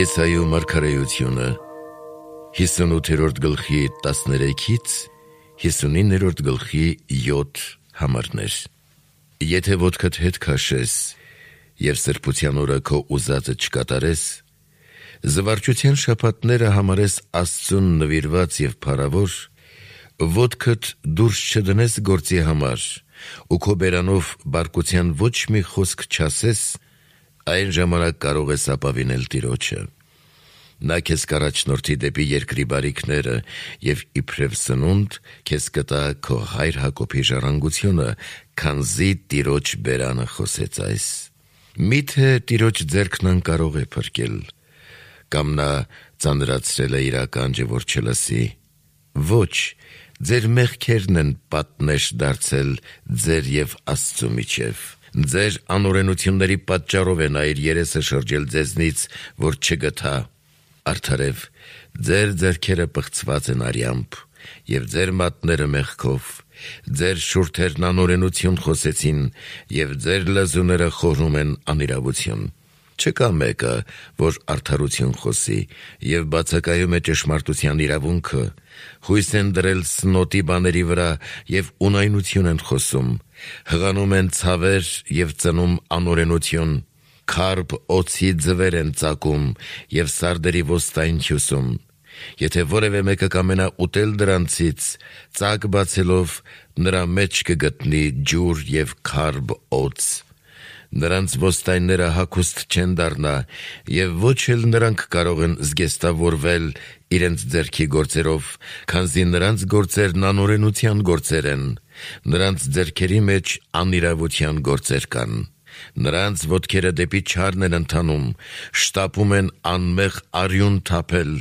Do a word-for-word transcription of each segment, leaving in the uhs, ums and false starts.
Եսայու մարգարեությունը հիսունութերորդ գլխի տասներեքից հիսունիններորդ գլխի յոթ համարներ։ Եթե ոտքդ հետ քաշես և սրբության օրը քո ուզածը չկատարես, զվարճության շաբաթները համարես Աստծուն նվիրված և փառավոր, ոտքդ դուրս չդնես գործի համար ու քո բերանով բարկության ոչ մի խոսք չասես, այն ժամանակ կարող ես ապավինել Տիրոջը։ Նա քեզ կառաջնորդի դեպի երկրի բարիքները և իբրև սնունդ քեզ կտա քո հայր Հակոբի ժառանգությունը, քանզի Տիրոջ բերանը խոսեց այս։ Մի՞թե Տիրոջ ձեռքն անկարող է փրկել, կամ նա ծանրացրել է իր ականջը, որ չլսի։ Ոչ, ձեր մեղքերն են պատնեշ դարձել ձեր և Աստծու միջև։ Ձեր անօրենությունների պատճառով է նա իր երեսը շրջել ձեզնից, որ չգթա։ Արդարև, ձեր ձեռքերը պղծված են արյամբ, և ձեր մատները մեղքով, ձեր շուրթերն անօրենություն խոսեցին, և ձեր լեզուները խորհում են անիրավություն։ Չկա մեկը, որ արդարություն խոսի, և բացակայում է ճշմարտության իրավունքը, հույս են դրել սնոտի բաների վրա և ունայնություն են խոսում, հղանում են ցավեր և ծնում անօրենություն, քարփ օձի ձվեր են ծակում և սարդերի ոստայն հյուսում։ Եթե որևէ մեկը կամենա ուտել դրանցից, ծակ բացելով, նրա մեջ կգտնի ջուր և քարփ օձ։ Նրանց ոստայնները հագուստ չեն դառնա, և ոչ էլ նրանք կարող են զգեստավորվել իրենց ձեռքի գործերով, քանզի նրանց գործերն անօրենության գործեր են, նրանց ձեռքերի մեջ անիրավության գործեր կան։ Նրանց ոտքերը դեպի չարն են ընթանում, շտապում են անմեղ արյուն թափել,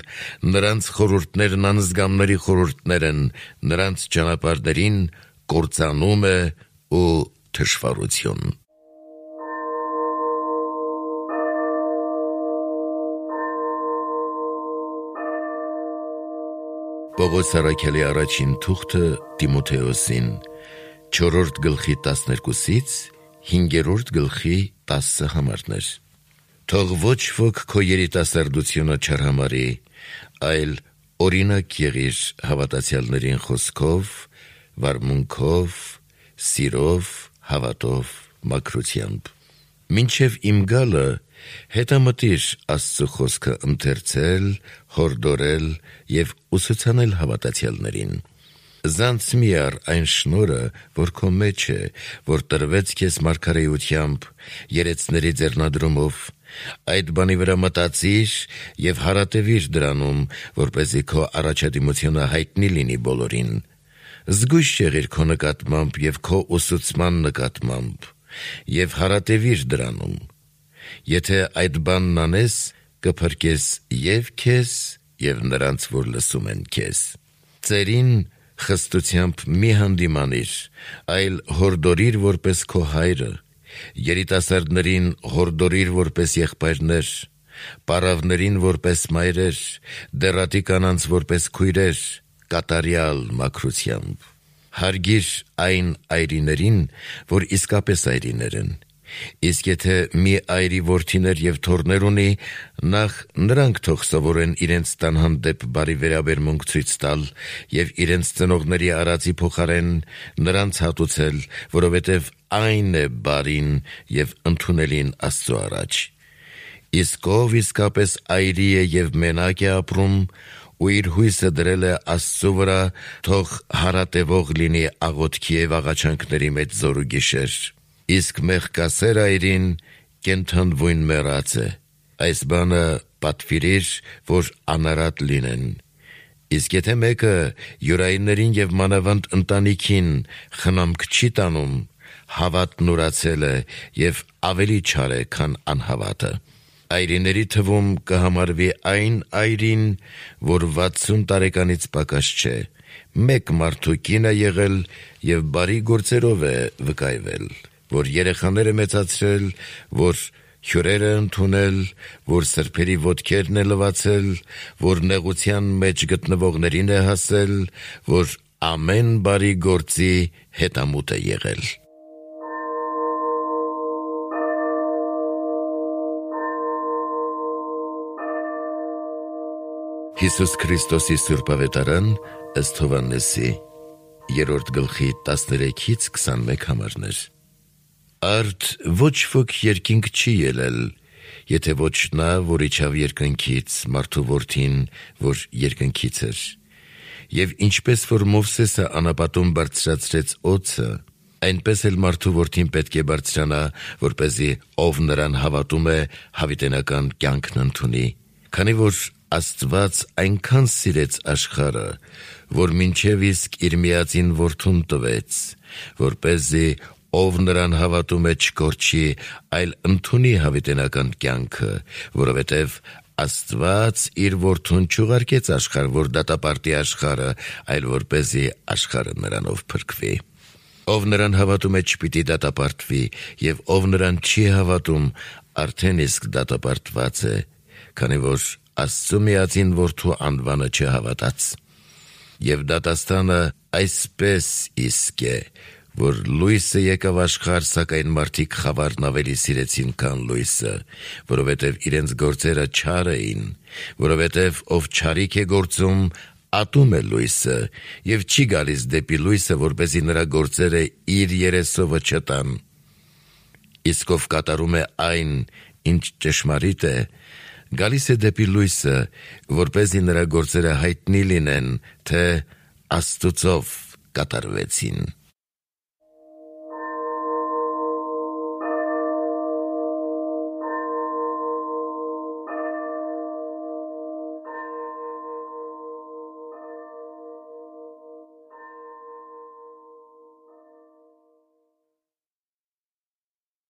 նրանց խորհուրդներն անզգամների խորհուրդներ են, նրանց ճանապարհներին կործանում է ու թշվառություն։ Պողոս առաքյալի առաջին թուղթը Տիմոթեոսին, չորրորդ գլխի տասներկուսից հինգերորդ գլխի տասը համարներ։ Թող ոչ ոք քո երիտասարդությունը չարհամարի, այլ օրինակ եղիր հավատացյալներին խոսքով, վարմունքով, սիրով, հավատով, մաքրությամբ։ Մինչև իմ գալը հետամտիր Աստծու խոսքը ընթերցել, հորդորել և ուսուցանել հավատացյալներին։ Զանց մի առ այն շնորհը, որ քո մեջ է, որ տրվեց քեզ մարգարեությամբ, երեցների ձեռնադրումով, այդ բանի վրա մտածիր և հարատևիր դրանում, որպեսզի քո առաջադիմությունը հայտնի լինի բոլորին։ Զգույշ եղիր քո նկատմամբ և քո ուսուցման նկատմամբ, և հարատևիր դրանում։ Եթե այդ բանն անես, կփրկես և քեզ, և նրանց, որ լսում են քեզ։ Ծերին խստությամբ մի հանդիմանիր, այլ հորդորիր որպես քո հայրը, երիտասարդներին հորդորիր որպես եղբայրներ, պառավներին որպես մայրեր, դեռատի կանանց որպես քույրեր, կատարյալ մաքրությամբ։ Հարգիր այն այրիներին, որ իսկապես այրիներ են։ Իսկ եթե մի այրի որդիներ և թոռներ ունի, նախ նրանք թող սովորեն իրենց տան հանդեպ բարի վերաբերմունք ցույց տալ և իրենց ծնողների արածի փոխարեն նրանց հատուցել, որովհետև այն է բարին և ընդունելին Աստծու առաջ։ Իսկ ով իսկապես այրի է և մենակ է ապրում, ու իր հույսը դրել է Աստծու վրա, թող հարատևող լինի աղոթքի և աղաչանքների մեջ զօր ու գիշեր։ Իսկ մեղքասեր այրին կենդանվույն մեռած է։ Այս բանը պատվիրիր, որ անարատ լինեն։ Իսկ եթե մեկը յուրայիններին և մանավանդ ընտանիքին խնամք չի տանում, հավատն ուրացել է և ավելի չար է, քան անհավատը։ Այրիների թվում կհամարվի այն այրին, որ վաթսուն տարեկանից պակաս չէ, մեկ մարդու կին է եղել և բարի գործերով է վկայվել, որ երեխաներ է մեծացրել, որ հյուրեր է ընդունել, որ սրբերի ոտքերն է լվացել, որ նեղության մեջ գտնվողներին է հասել, որ ամեն բարի գործի հետամուտ է եղել։ Հիսուս Քրիստոսի Սուրբ Ավետարան ըստ Հովհաննեսի երրորդ գլխի տասներեքից քսանմեկ համարներ։ Արդ ոչ ոք երկինք չի ելել, եթե ոչ նա, որ իջավ երկնքից, մարդու որդին, որ երկնքից էր։ Եվ ինչպես որ Մովսեսը անապատում բարձրացրեց օձը, այնպես էլ մարդու որդին պետք է բարձրանա, որպեսզի ով նրան հավատում է, հավիտենական կյանքն ընդունի։ Քանի որ Աստված այնքան սիրեց աշխարհը, որ մինչև իսկ իր միածին որդուն տվեց, որպեսզի ով նրան հավատում է չկորչի, այլ ընդունի հավիտենական կյանքը, որովհետև Աստված իր որդուն չուղարկեց աշխարհ, որ դատապարտի աշխարհը, այլ որպեսզի աշխարհը նրանով փրկվի։ Ով նրան հավատում է, չպիտի դատապարտվի, եւ ով նրան չի հավատում, արդեն իսկ դատապարտված է, քանի որ Աստծու միածին որդու անվանը չհավատաց։ Եվ դատաստանը այսպես իսկ է, որ լույսը եկավ աշխարհ, սակայն մարդիկ խավարն ավելի սիրեցին, քան լույսը, որովհետև իրենց գործերը չար էին, որովհետև ով չարիք է գործում, ատում է լույսը, եւ չի գալիս դեպի լույսը, որպեսզի նրա գործերը իր երեսովը չտան։ Իսկ ով կատարում է այն, ինչ ճշմարիտ է, գալիս է դեպի լույսը, որպեսզի նրա գործերը հայտնի լինեն, թե Աստծով կատարվեցին։